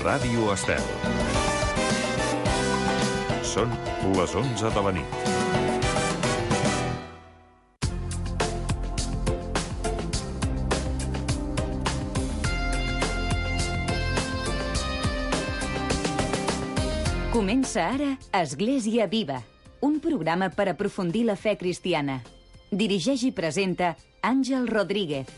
Ràdio Estel. Són les 11 de la nit. Comença ara Església Viva, un programa per aprofundir la fe cristiana. Dirigeix i presenta Àngel Rodríguez.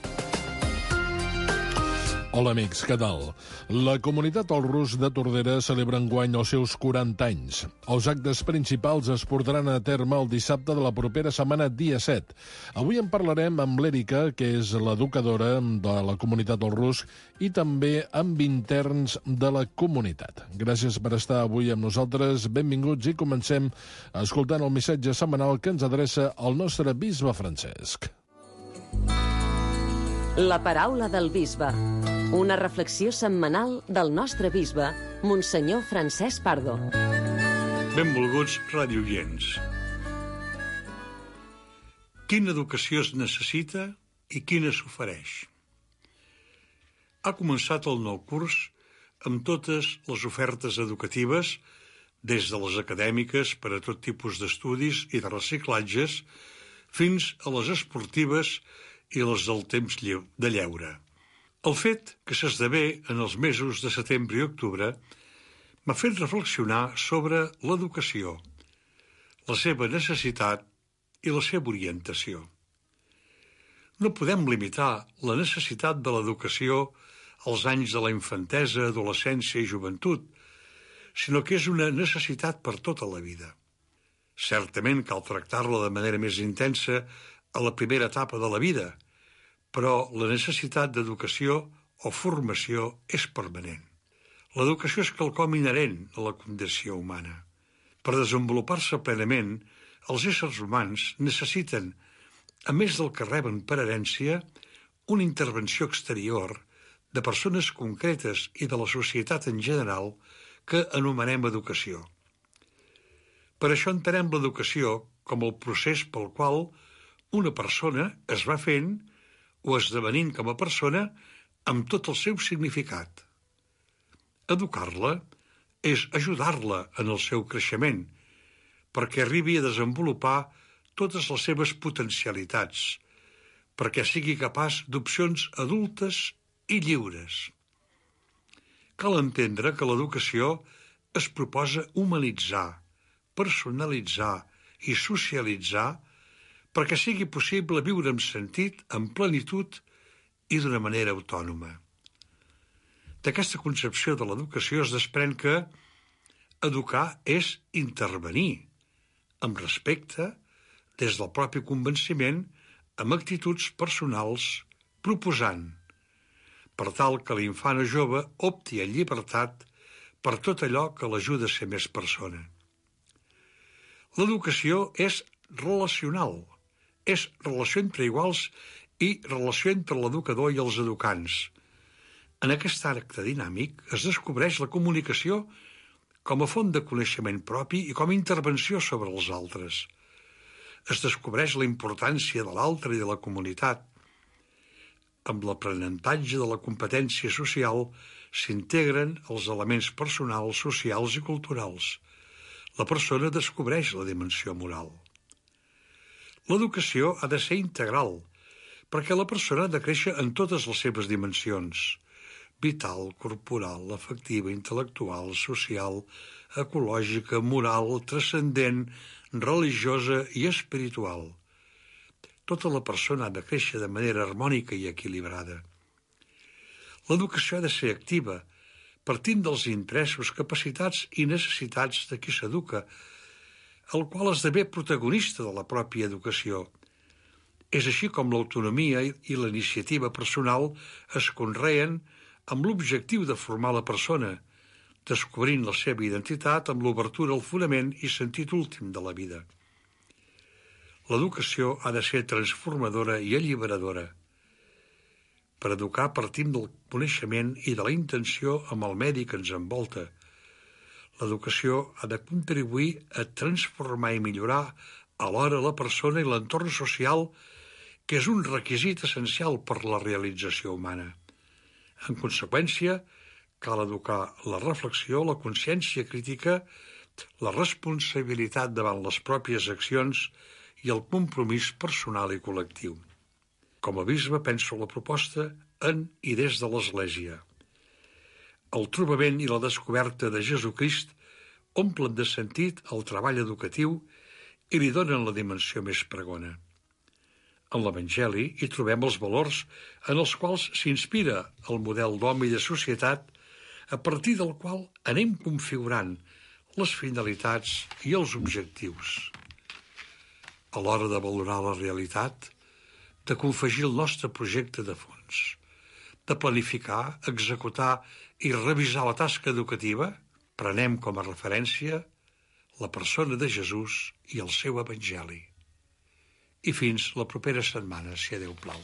Hola amics, què tal? La comunitat Al Rus de Tordera celebra enguany els seus 40 anys. Els actes principals es portaran a terme el dissabte de la propera setmana, dia 7. Avui en parlarem amb l'Èrica, que és l'educadora de la comunitat Al Rus, i també amb interns de la comunitat. Gràcies per estar avui amb nosaltres. Benvinguts i comencem escoltant el missatge setmanal que ens adreça el nostre bisbe Francesc. La paraula del bisbe. Una reflexió setmanal del nostre bisbe, Monsenyor Francesc Pardo. Benvolguts radioients. Quina educació es necessita i quina s'ofereix? Ha començat el nou curs amb totes les ofertes educatives, des de les acadèmiques per a tot tipus d'estudis i de reciclatges, fins a les esportives i les del temps de lleure. El fet que s'esdevé en els mesos de setembre i octubre m'ha fet reflexionar sobre l'educació, la seva necessitat i la seva orientació. No podem limitar la necessitat de l'educació als anys de la infantesa, adolescència i joventut, sinó que és una necessitat per tota la vida. Certament cal tractar-la de manera més intensa a la primera etapa de la vida, però la necessitat d'educació o formació és permanent. L'educació és quelcom inherent a la condició humana. Per desenvolupar-se plenament, els éssers humans necessiten, a més del que reben per herència, una intervenció exterior de persones concretes i de la societat en general que anomenem educació. Per això entenem l'educació com el procés pel qual una persona es va fent o esdevenint com a persona amb tot el seu significat. Educar-la és ajudar-la en el seu creixement, perquè arribi a desenvolupar totes les seves potencialitats, perquè sigui capaç d'opcions adultes i lliures. Cal entendre que l'educació es proposa humanitzar, personalitzar i socialitzar perquè sigui possible viure amb sentit, amb plenitud i d'una manera autònoma. D'aquesta concepció de l'educació es desprèn que educar és intervenir, amb respecte, des del propi convenciment, amb actituds personals, proposant, per tal que l'infant o jove opti en llibertat per tot allò que l'ajuda a ser més persona. L'educació és relacional, és relació entre iguals i relació entre l'educador i els educants. En aquest acte dinàmic es descobreix la comunicació com a font de coneixement propi i com a intervenció sobre els altres. Es descobreix la importància de l'altre i de la comunitat. Amb l'aprenentatge de la competència social s'integren els elements personals, socials i culturals. La persona descobreix la dimensió moral. L'educació ha de ser integral, perquè la persona ha de créixer en totes les seves dimensions: vital, corporal, afectiva, intel·lectual, social, ecològica, moral, transcendent, religiosa i espiritual. Tota la persona ha de créixer de manera harmònica i equilibrada. L'educació ha de ser activa, partint dels interessos, capacitats i necessitats de qui s'educa, el qual esdevé protagonista de la pròpia educació. És així com l'autonomia i la iniciativa personal es conreen amb l'objectiu de formar la persona, descobrint la seva identitat amb l'obertura al fonament i sentit últim de la vida. L'educació ha de ser transformadora i alliberadora. Per educar partim del coneixement i de la intenció amb el medi que ens envolta. L'educació ha de contribuir a transformar i millorar alhora la persona i l'entorn social, que és un requisit essencial per la realització humana. En conseqüència, cal educar la reflexió, la consciència crítica, la responsabilitat davant les pròpies accions i el compromís personal i col·lectiu. Com a bisbe penso la proposta en i des de l'Església. El trobament i la descoberta de Jesucrist omplen de sentit el treball educatiu i li donen la dimensió més pregona. En l'Evangeli hi trobem els valors en els quals s'inspira el model d'home i de societat a partir del qual anem configurant les finalitats i els objectius. A l'hora de valorar la realitat, de confegir el nostre projecte de fons, de planificar, executar i revisar la tasca educativa, prenem com a referència la persona de Jesús i el seu Evangeli. I fins la propera setmana, si a Déu plau.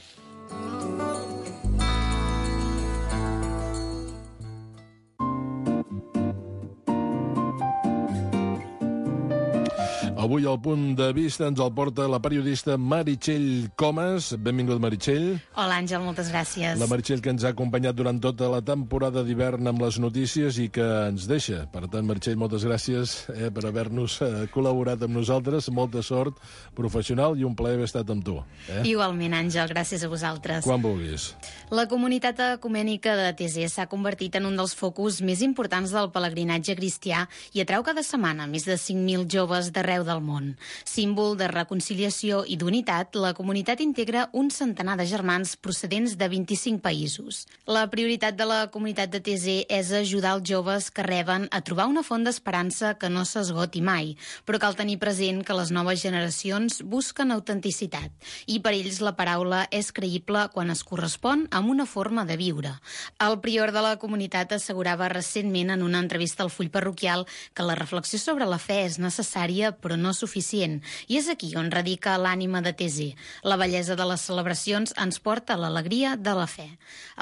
Avui al Punt de Vista ens el porta la periodista Meritxell Comas. Benvingut, Meritxell. Hola, Àngel, moltes gràcies. La Meritxell que ens ha acompanyat durant tota la temporada d'hivern amb les notícies i que ens deixa. Per tant, Meritxell, moltes gràcies per haver-nos col·laborat amb nosaltres. Molta sort professional i un plaer haver estat amb tu. Igualment, Àngel, gràcies a vosaltres. Quan vulguis. La comunitat ecumènica de TZ s'ha convertit en un dels focus més importants del pelegrinatge cristià i atrau cada setmana més de 5.000 joves d'arreu del món. Símbol de reconciliació i d'unitat, la comunitat integra un centenar de germans procedents de 25 països. La prioritat de la comunitat de TZ és ajudar els joves que reben a trobar una font d'esperança que no s'esgoti mai, però cal tenir present que les noves generacions busquen autenticitat i per ells la paraula és creïble quan es correspon amb una forma de viure. El prior de la comunitat assegurava recentment en una entrevista al Full Parroquial que la reflexió sobre la fe és necessària però no suficient, i és aquí on radica l'ànima de TZ. La bellesa de les celebracions ens porta a l'alegria de la fe.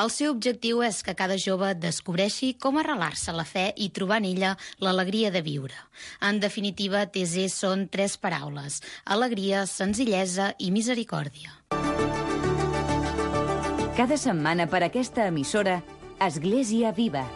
El seu objectiu és que cada jove descobreixi com arrelar-se a la fe i trobar en ella l'alegria de viure. En definitiva, TZ són 3 paraules: alegria, senzillesa i misericòrdia. Cada setmana per aquesta emissora, Església Viva.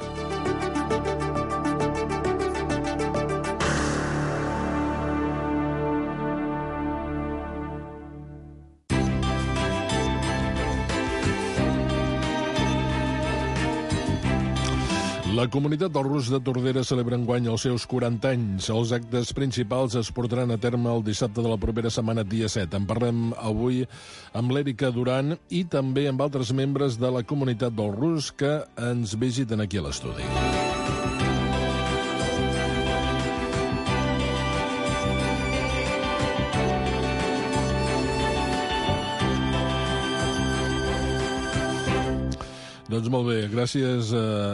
La comunitat del Rus de Tordera celebra enguany els seus 40 anys. Els actes principals es portaran a terme el dissabte de la propera setmana, dia 7. En parlem avui amb l'Èrica Duran i també amb altres membres de la comunitat del Rus que ens visiten aquí a l'estudi. Doncs molt bé, gràcies,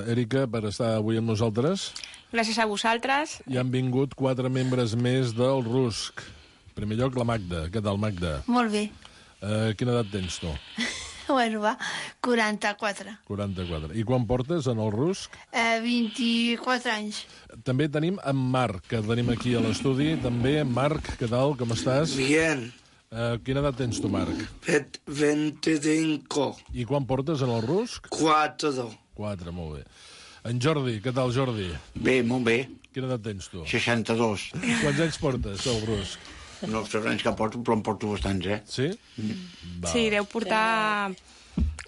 Èrica, per estar avui amb nosaltres. Gràcies a vosaltres. I han vingut 4 membres més del RUSC. En primer lloc, la Magda. Què tal, Magda? Molt bé. Quina edat tens tu? Bueno, va, 44. 44. I quan portes en el RUSC? 24 anys. També tenim en Marc, que tenim aquí a l'estudi. També, Marc, què tal, com estàs? Bien. Quina edat tens tu, Marc? 25. I quan portes en el RUSC? 4. 4, molt bé. En Jordi, què tal, Jordi? Bé, molt bé. Quina edat tens tu? 62. Quants anys portes al RUSC? No sé anys que porto, però en porto bastants, Sí? Va. Sí, deu portar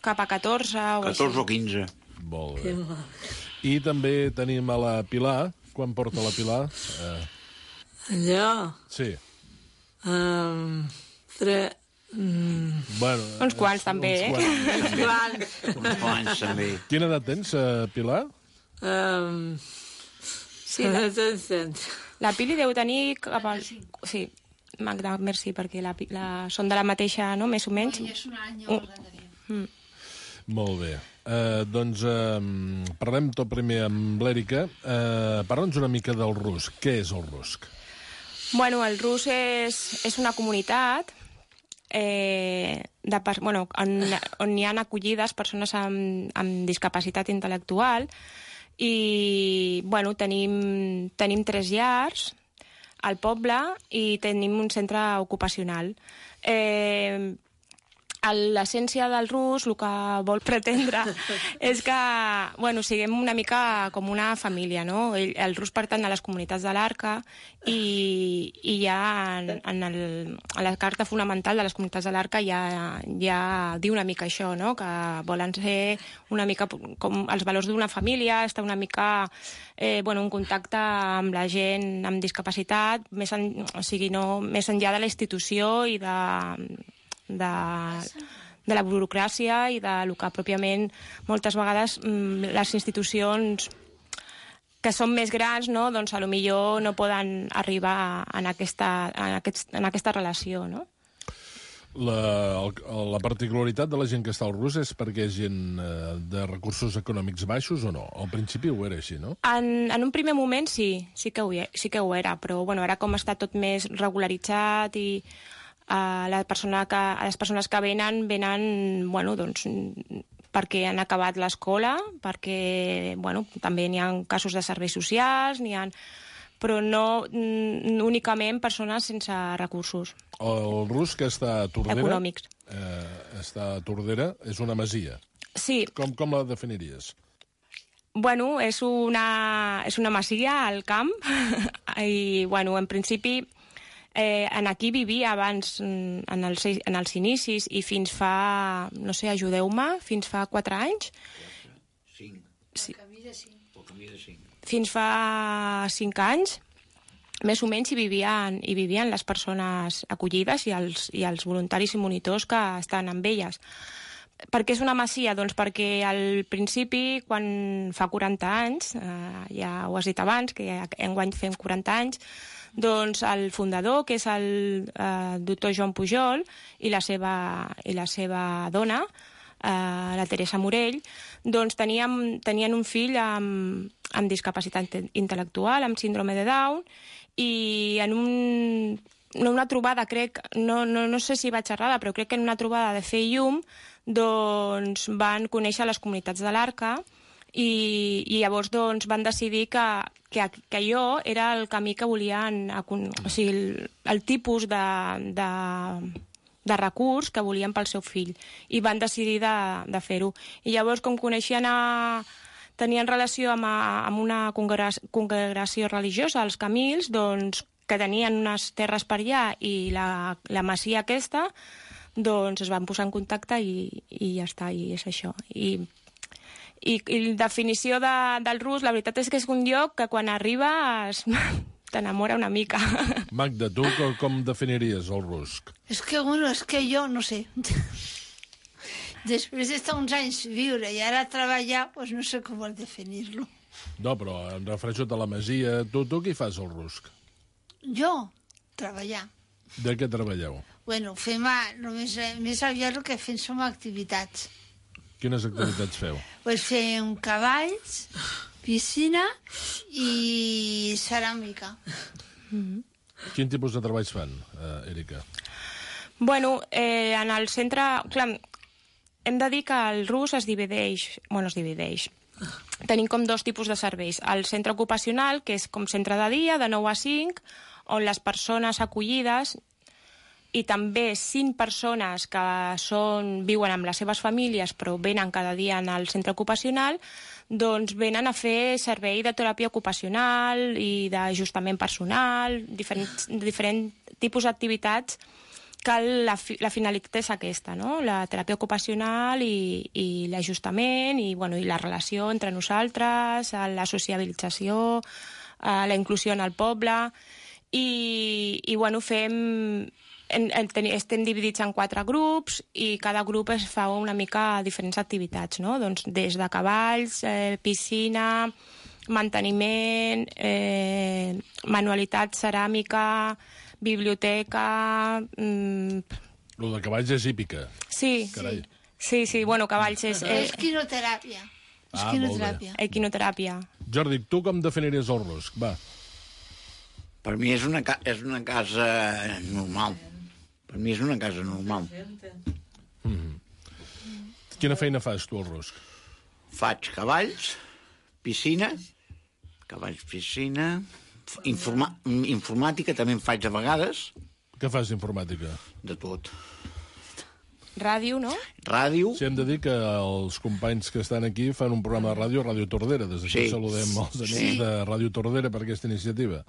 cap a 14 o 14 o 15. Molt bé. I també tenim a la Pilar. Quan porta la Pilar? Allò? Sí. 3... Bueno, uns quants, també, Uns quants. Uns quants, també. Quina edat tens, Pilar? Sí, la Pili deu tenir cap al... Sí, Magda, merci, perquè són de la mateixa, no?, més o menys. És un any o l'any. Molt bé. Doncs parlem tot primer amb l'Èrica. Parla'ns una mica del RUSC. Què és el RUSC? Bueno, el RUSC és una comunitat on hi ha acollides persones amb discapacitat intel·lectual i bueno, tenim 3 llars al poble i tenim un centre ocupacional. l'essència del rus, el que vol pretendre, és que siguem una mica com una família, no? El rus pertany a les comunitats de l'Arca i ja a la carta fonamental de les comunitats de l'Arca ja diu una mica això, no? Que volen ser una mica com els valors d'una família, estar una mica en contacte amb la gent amb discapacitat, més enllà de la institució i de la burocràcia i del que pròpiament moltes vegades les institucions que són més grans, no? Doncs potser no poden arribar en aquesta relació, no? La particularitat de la gent que està al RUS és perquè és gent de recursos econòmics baixos o no? Al principi ho era així, no? En un primer moment sí que ho era, però ara com està tot més regularitzat i les persones que venen perquè han acabat l'escola, perquè també n'hi ha casos de serveis socials, però no únicament persones sense recursos. El RUS que està a Tordera... Econòmics. Està a Tordera, és una masia. Sí. Com la definiries? És una masia al camp i, en principi, aquí vivia abans, en els inicis, i fins fa, no sé, ajudeu-me, fins fa 4 anys. 5. Sí. Pel camí de 5. Fins fa 5 anys, més o menys, hi vivien les persones acollides i els voluntaris i monitors que estan amb elles. Per què és una masia? Doncs perquè al principi, quan fa 40 anys, ja ho has dit abans, que enguany fem 40 anys, doncs el fundador, que és el doctor Joan Pujol, i la seva dona, la Teresa Morell, doncs tenien un fill amb discapacitat intel·lectual, amb síndrome de Down, i en una trobada, crec, no sé si vaig errada, però crec que en una trobada de fer llum, doncs van conèixer les comunitats de l'Arca i llavors doncs van decidir que allò era el camí que volien, o sigui, el tipus de recurs que volien pel seu fill, i van decidir de fer-ho. I llavors, com tenien relació amb una congregació religiosa, els Camils, doncs, que tenien unes terres per allà, i la masia aquesta, doncs es van posar en contacte i ja està, i és això. I la definició del RUS, la veritat és que és un lloc que quan arribes t'enamora una mica. Magda, tu com definiries el RUS? És que jo no sé. Després d'estar uns anys viure i ara treballar, doncs no sé com vol definir-lo. No, però em refereixo a la masia. Tu què fas al RUSC? Jo? Treballar. De què treballeu? Fem més aviat el que fem som activitats. Quines activitats feu? Fem cavalls, piscina i ceràmica. Quin tipus de treballs fan, Èrica? En el centre... Clar, hem de dir que el RUS es divideix. Tenim com 2 tipus de serveis. El centre ocupacional, que és com centre de dia, de 9 a 5, on les persones acollides i també 5 persones que viuen amb les seves famílies però venen cada dia al centre ocupacional, doncs venen a fer servei de teràpia ocupacional i d'ajustament personal, diferents tipus d'activitats que la finalitat és aquesta, no? La teràpia ocupacional i l'ajustament i la relació entre nosaltres, la sociabilització, la inclusió en el poble estem dividits en 4 grups i cada grup es fa una mica diferents activitats, no? Doncs des de cavalls, piscina, manteniment, manualitat, ceràmica, biblioteca... Lo de cavalls és hípica. Sí, carai. Sí, cavalls és... Equinoteràpia. Equinoteràpia. Jordi, tu com definiries el RUSC? Va. Per mi és una casa normal. Per mi és una casa normal. Quina feina fas tu al RUSC? Faig cavalls, piscina, informàtica també en faig a vegades. Què fas d'informàtica? De tot. Ràdio, no? Ràdio. Sí, hem de dir que els companys que estan aquí fan un programa de ràdio, Ràdio Tordera. Des d'aquí saludem els amics de Ràdio Tordera per aquesta iniciativa.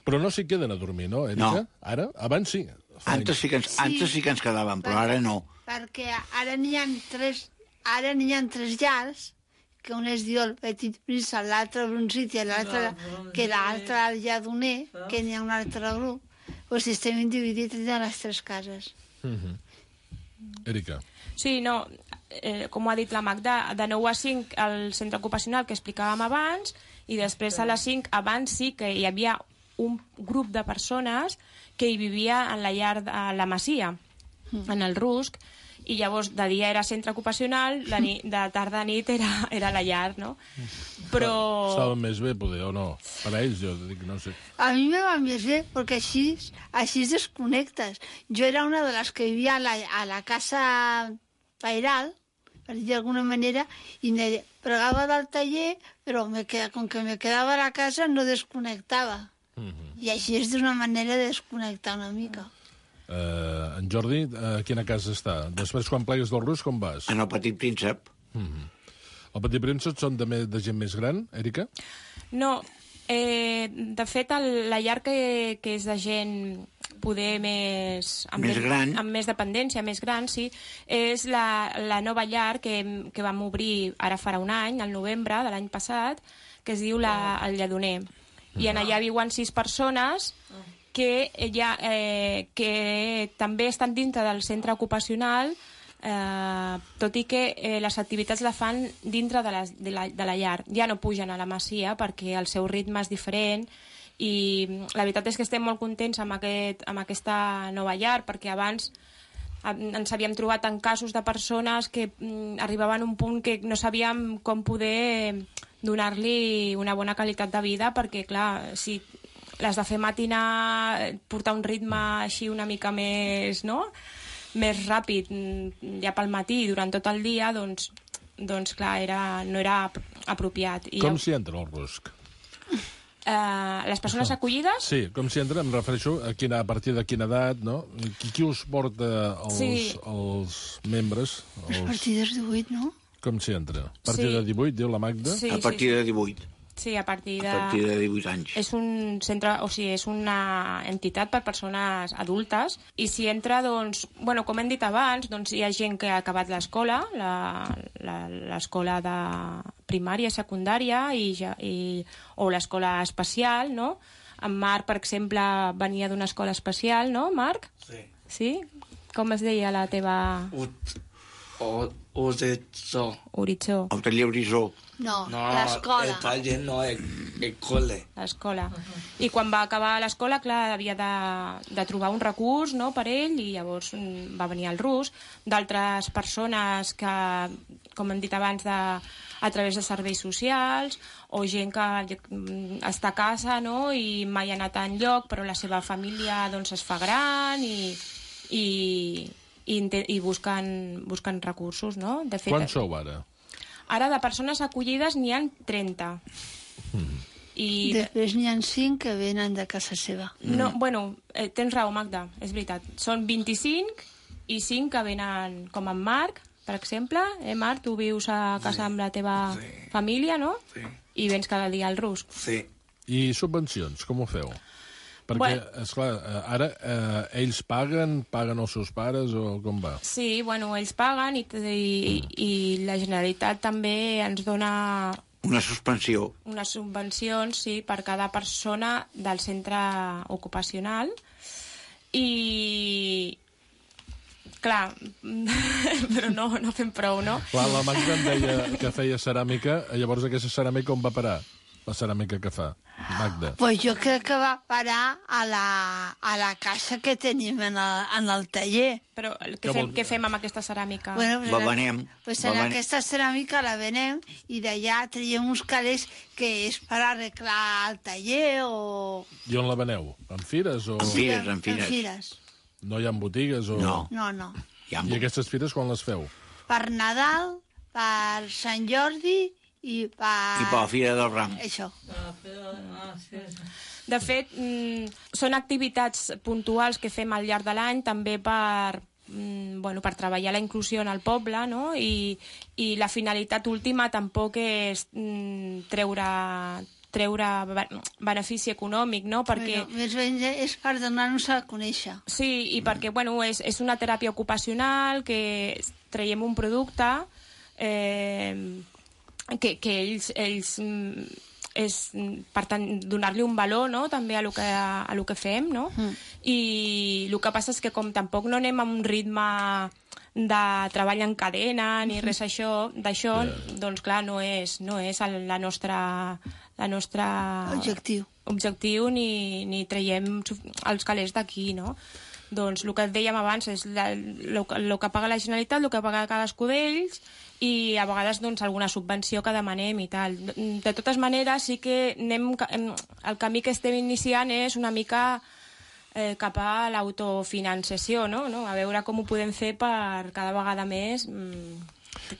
Però no s'hi queden a dormir, no, Erika? No. Ara? Abans sí. Antes sí que ens quedàvem, però ara no. Perquè ara n'hi ha tres llars, que un es diu el Petit Príncep, l'altre Bruncit i l'altre el Lladoner, que n'hi ha un altre grup. Doncs estem dividits en les tres cases. Erika. Sí, no, com ho ha dit la Magda, de 9 a 5 al centre ocupacional que explicàvem abans, i després a les 5, abans sí que hi havia un grup de persones que hi vivia en la llar de la Masia, en el Rusc, i llavors de dia era centre ocupacional, de tarda a nit era la llar, no? Però... Estava més bé, poder, o no? Per a ells, jo dic, no sé. A mi me va més bé, perquè així desconnectes. Jo era una de les que vivia a la casa pairal, per dir d'alguna manera, i pregava del taller, però com que me quedava a la casa no desconnectava. I així és d'una manera de desconnectar una mica. En Jordi, a quina casa està? Després, quan plegues del Rus, com vas? En el Petit Príncep. El Petit Príncep són de gent més gran, Erika? No, de fet, la llar que és de gent poder més... Més gran. Amb més dependència, més gran, sí, és la nova llar que vam obrir ara farà un any, al novembre de l'any passat, que es diu el Lladoner. I en allà viuen 6 persones que també estan dintre del centre ocupacional, tot i que les activitats la fan dintre de la llar. Ja no pugen a la Masia perquè el seu ritme és diferent, i la veritat és que estem molt contents amb aquesta nova llar, perquè abans ens havíem trobat en casos de persones que arribaven a un punt que no sabíem com poder donar-li una bona qualitat de vida, perquè clar, si les de fer matinar, portar un ritme així una mica més, no?, més ràpid ja pel matí durant tot el dia, doncs clar, no era apropiat. Com s'hi entra al Rusc? Les persones acollides? Sí, com s'hi entra, em refereixo a partir de quina edat, no? Qui us porta els membres? A partir dels 18, no? Com s'hi entra? A partir de 18, diu la Magda? Sí, a partir de 18. Sí, a partir de 18 anys. És un centre, o sigui, és una entitat per persones adultes, i s'hi entra, doncs, bueno, com hem dit abans, doncs hi ha gent que ha acabat l'escola, l'escola de primària, secundària, o l'escola especial, no? En Marc, per exemple, venia d'una escola especial, no, Marc? Sí. Sí? Com es deia la teva... Horitzó. El taller Horitzó. No, l'escola. El taller no, el col·le. L'escola. I quan va acabar l'escola, clar, havia de trobar un recurs, no?, per ell, i llavors va venir al Rus. D'altres persones que, com hem dit abans, a través de serveis socials, o gent que està a casa, no?, i mai ha anat enlloc, però la seva família doncs es fa gran i busquen recursos, no? De fet, quants sou ara? Ara de persones acollides n'hi ha 30. Després n'hi ha 5 que venen de casa seva. No, bueno, tens raó, Magda, és veritat. Són 25 i 5 que venen, com en Marc, per exemple. Marc, tu vius a casa amb la teva família, no? Sí. I vens cada dia al Rusc. Sí. I subvencions, com ho feu? Perquè, esclar, ara ells paguen els seus pares o com va? Sí, bueno, ells paguen i la Generalitat també ens dona... Una suspensió. Unes subvencions, sí, per cada persona del centre ocupacional. I... Clar, però no fem prou, no? Clar, la Magda em deia que feia ceràmica, llavors aquesta ceràmica on va parar? La ceràmica que fa, Magda. Pues jo crec que va parar a la caixa que tenim en el taller. Però què fem amb aquesta ceràmica? Bueno, la venem. Pues aquesta ceràmica la venem i d'allà traiem uns calés que és per arreglar el taller o... I on la veneu? En fires o...? En fires. No hi ha botigues o...? No. I aquestes fires quan les feu? Per Nadal, per Sant Jordi... I per la Fira del Ram. Això. De fet, són activitats puntuals que fem al llarg de l'any també per per treballar la inclusió en el poble, no? I la finalitat última tampoc és treure benefici econòmic, no? Perquè... Més ben és per donar-nos a conèixer. Sí, i perquè, és una teràpia ocupacional, que traiem un producte que ells és, per tant, donar-li un valor, no?, també a lo que fem, no? I el que passa és que com tampoc no anem a un ritme de treball en cadena ni res d'això, doncs clar, no és la nostra objectiu ni traiem els calés d'aquí, no? Doncs el que et dèiem abans és el que paga la Generalitat, el que paga cadascú d'ells, i a vegades doncs alguna subvenció que demanem i tal. De totes maneres, sí que el camí que estem iniciant és una mica cap a l'autofinanciació, no? A veure com ho podem fer per cada vegada més...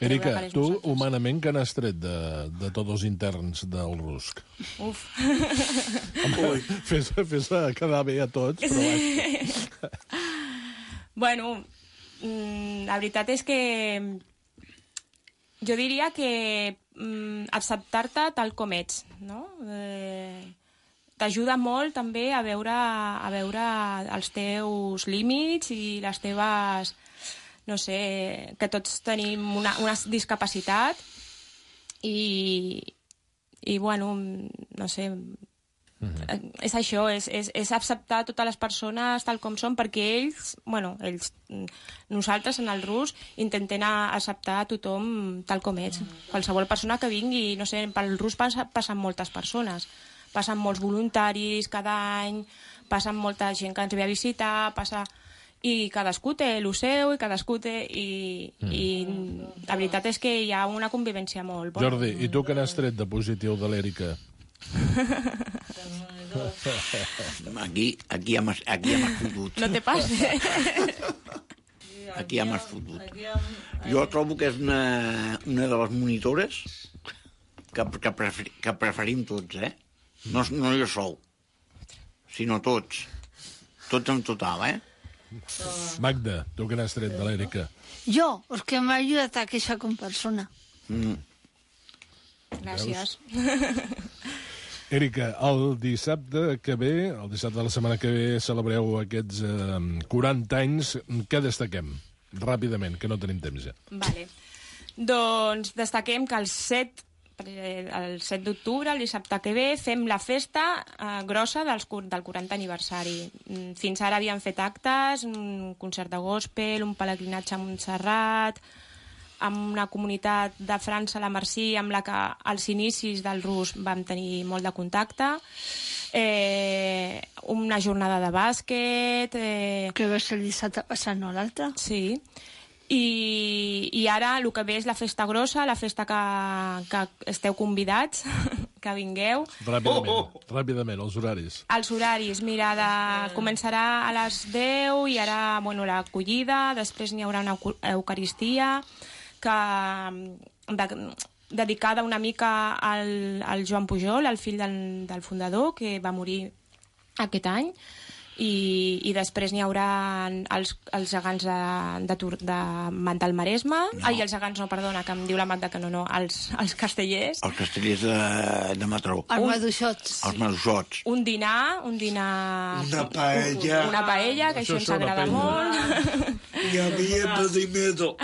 Erika, tu humanament que n'has tret de tots els interns del RUSC? Uf! Fes-la quedar bé a tots, però... Bueno, la veritat és que jo diria que acceptar-te tal com ets, no? T'ajuda molt també a veure els teus límits i les teves... No sé, que tots tenim una discapacitat i bueno, no sé, és això, és acceptar totes les persones tal com són, perquè nosaltres en el RUS intentem acceptar a tothom tal com ets. Qualsevol persona que vingui, no sé, pel RUS passen moltes persones, passen molts voluntaris cada any, passen molta gent que ens ve a visitar, i cadascú té el seu i cadascú té... I la veritat és que hi ha una convivència molt bona. Jordi, i tu què n'has tret de positiu de l'Erika? Aquí ja m'has fotut. No te passes. Aquí ja m'has fotut. Jo trobo que és una de les monitores que preferim tots, No jo sol, sinó tots. Tots en total, Magda, tu què n'has tret de l'Erika? Jo, és que m'ha ajudat a créixer com persona. Gràcies. Erika, el dissabte de la setmana que ve, celebreu aquests 40 anys. Què destaquem? Ràpidament, que no tenim temps ja. Vale. Doncs destaquem que el 7 d'octubre, el dissabte que ve, fem la festa grossa del 40 aniversari. Fins ara havíem fet actes, un concert de gospel, un pelegrinatge a Montserrat, amb una comunitat de França, la Marcí, amb la que als inicis del RUS vam tenir molt de contacte, una jornada de bàsquet... Que va ser el dissabte passat, no l'altre? Sí. I ara el que ve és la festa grossa, la festa que esteu convidats, que vingueu. Ràpidament, els horaris. Els horaris, mira, començarà a les 10 i ara, l'acollida, després n'hi haurà una eucaristia dedicada una mica al Joan Pujol, el fill del fundador, que va morir aquest any. I després n'hi haurà els gegants del Maresme. Els gegants, no, perdona, que em diu la Magda que no, els castellers. Els castellers de Mataró. Els maduixots. Els maduixots. Un dinar... Una paella. Una paella, que això ens agrada molt. I havia pedimento.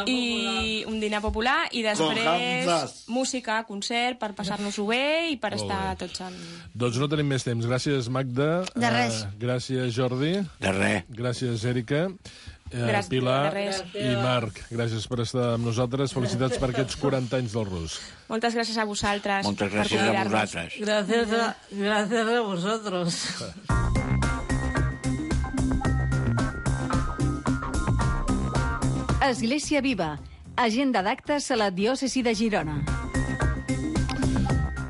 I un dinar popular, i després música, concert, per passar-nos-ho bé i per estar tots en... Doncs no tenim més temps. Gràcies, Magda. De res. Gràcies, Jordi. De res. Gràcies, Erika. Pilar i Marc, gràcies per estar amb nosaltres. Felicitats per aquests 40 anys del RUS. Moltes gràcies a vosaltres. Moltes gràcies a vosaltres. Gracias a vosotros. Església Viva. Agenda d'actes a la diòcesi de Girona.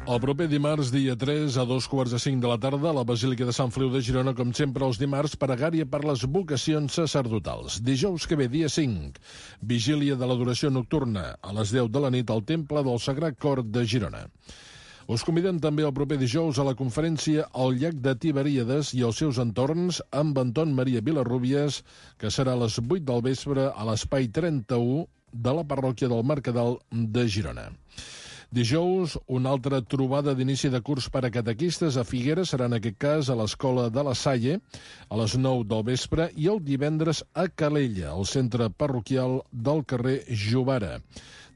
El proper dimarts, dia 3, a 2:45 de la tarda, a la Basílica de Sant Feliu de Girona, com sempre els dimarts, pregària per les vocacions sacerdotals. Dijous que ve, dia 5, vigília de l'adoració nocturna, a les 10 de la nit, al Temple del Sagrat Cor de Girona. Us convidem també el proper dijous a la conferència El llac de Tiberíades i els seus entorns amb Anton Maria Vilarrubias, que serà a les 8 del vespre a l'espai 31 de la parròquia del Mercadal de Girona. Dijous, una altra trobada d'inici de curs per a catequistes a Figueres, serà en aquest cas a l'Escola de la Salle, a les 9 del vespre, i el divendres a Calella, al centre parroquial del carrer Jovara.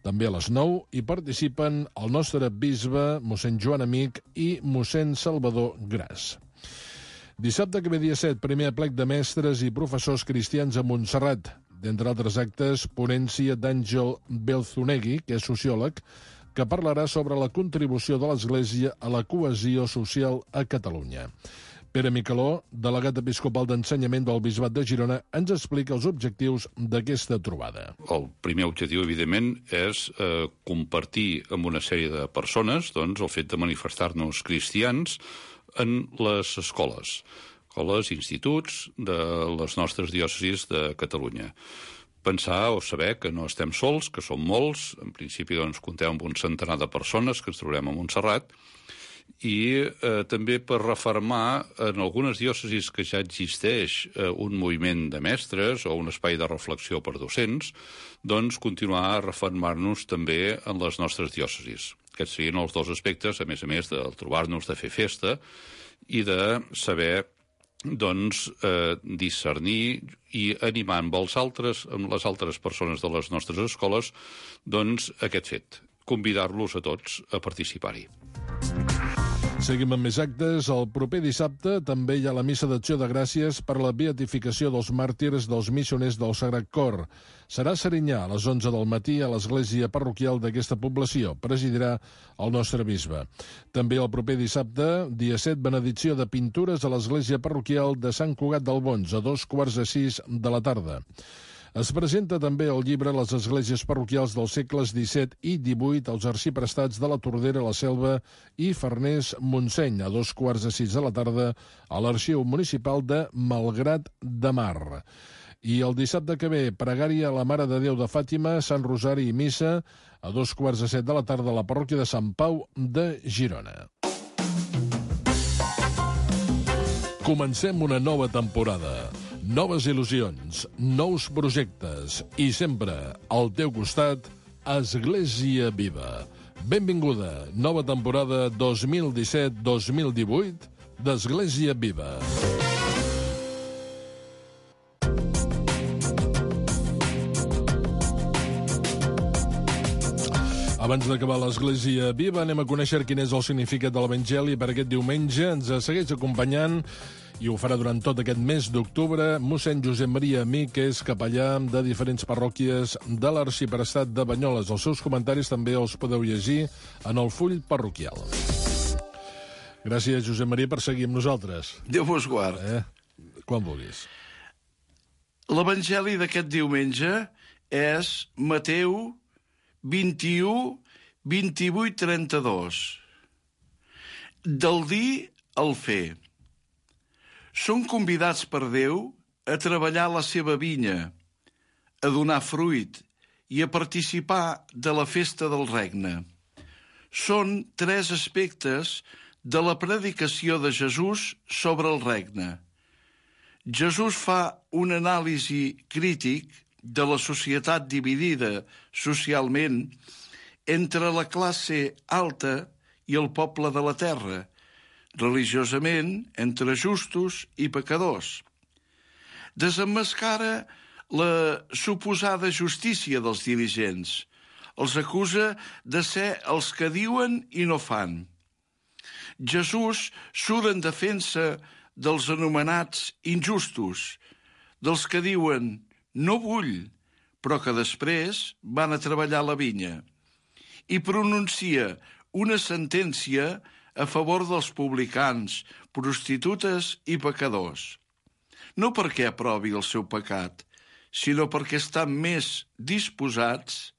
També a les 9 hi participen el nostre bisbe, mossèn Joan Amic i mossèn Salvador Gras. Dissabte que ve dia 7, primer aplec de mestres i professors cristians a Montserrat. D'entre altres actes, ponència d'Àngel Belzunegui, que és sociòleg, que parlarà sobre la contribució de l'Església a la cohesió social a Catalunya. Pere Micaló, delegat episcopal d'ensenyament del Bisbat de Girona, ens explica els objectius d'aquesta trobada. El primer objectiu, evidentment, és compartir amb una sèrie de persones el fet de manifestar-nos cristians en les escoles, instituts de les nostres diòcesis de Catalunya. Pensar o saber que no estem sols, que som molts, en principi comptem amb un centenar de persones que ens trobarem a Montserrat, i també per refermar en algunes diòcesis que ja existeix un moviment de mestres o un espai de reflexió per docents, continuar a refermar-nos també en les nostres diòcesis. Aquests serien els dos aspectes, a més de trobar-nos, de fer festa i de saber discernir i animar amb les altres persones de les nostres escoles, aquest fet, convidar-los a tots a participar-hi. Seguim amb més actes. El proper dissabte també hi ha la missa d'acció de gràcies per la beatificació dels màrtirs dels missioners del Sagrat Cor. Serà a Serinyà a les 11 del matí a l'església parroquial d'aquesta població. Presidirà el nostre bisbe. També el proper dissabte, dia 7, benedicció de pintures a l'església parroquial de Sant Cugat del Bons, a 5:45 de la tarda. Es presenta també el llibre Les esglésies parroquials dels segles XVII i XVIII als arxiprestats de la Tordera, la Selva i Farners Montseny, a 5:45 de la tarda a l'Arxiu Municipal de Malgrat de Mar. I el dissabte que ve, pregària a la Mare de Déu de Fàtima, Sant Rosari i Missa, a 5:45 de la tarda a la parròquia de Sant Pau de Girona. Comencem una nova temporada. Noves il·lusions, nous projectes i sempre al teu costat, Església Viva. Benvinguda, nova temporada 2017-2018 d'Església Viva. Abans d'acabar l'Església Viva, anem a conèixer quin és el significat de l'Evangeli per aquest diumenge. Ens segueix acompanyant i ho farà durant tot aquest mes d'octubre mossèn Josep Maria Amic, que és capellà de diferents parròquies de l'arxiprestat de Banyoles. Els seus comentaris també els podeu llegir en el full parroquial. Gràcies, Josep Maria, per seguir amb nosaltres. Déu vos guard. Quan vulguis. L'Evangeli d'aquest diumenge és Mateu 21, 28, 32. Del dir al fer. Són convidats per Déu a treballar la seva vinya, a donar fruit i a participar de la festa del regne. Són 3 aspectes de la predicació de Jesús sobre el regne. Jesús fa un anàlisi crític de la societat dividida socialment entre la classe alta i el poble de la terra, religiosament entre justos i pecadors. Desemmascara la suposada justícia dels dirigents. Els acusa de ser els que diuen i no fan. Jesús surt en defensa dels anomenats injustos, dels que diuen no vull, però que després van a treballar la vinya, i pronuncia una sentència a favor dels publicans, prostitutes i pecadors. No perquè aprovi el seu pecat, sinó perquè estan més disposats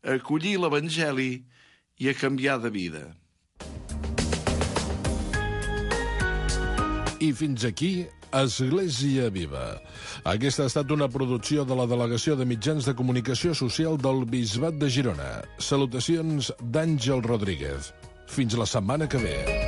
a acollir l'Evangeli i a canviar de vida. I fins aquí, Església Viva. Aquesta ha estat una producció de la Delegació de Mitjans de Comunicació Social del Bisbat de Girona. Salutacions d'Àngel Rodríguez. Fins la setmana que ve.